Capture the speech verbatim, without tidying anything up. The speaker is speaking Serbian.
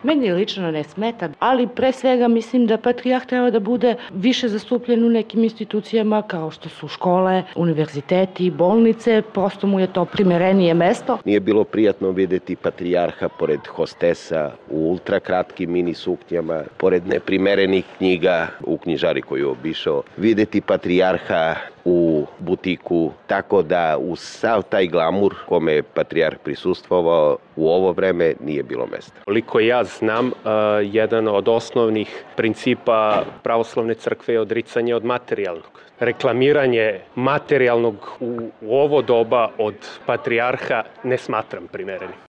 Meni lično ne smeta, ali pre svega mislim da patrijarh treba da bude više zastupljen u nekim institucijama kao što su škole, univerziteti, bolnice, prosto mu je to primerenije mesto. Nije bilo prijatno videti patrijarha pored hostesa u ultrakratkim mini suknjama, pored neprimerenih knjiga u knjižari koju je obišao, videti patrijarha u butiku, tako da uz sav taj glamur kome je patrijarh prisustvovao u ovo vreme nije bilo mesta. Koliko ja znam, jedan od osnovnih principa pravoslavne crkve je odricanje od materijalnog. Reklamiranje materijalnog u ovo doba od patrijarha ne smatram primerenim.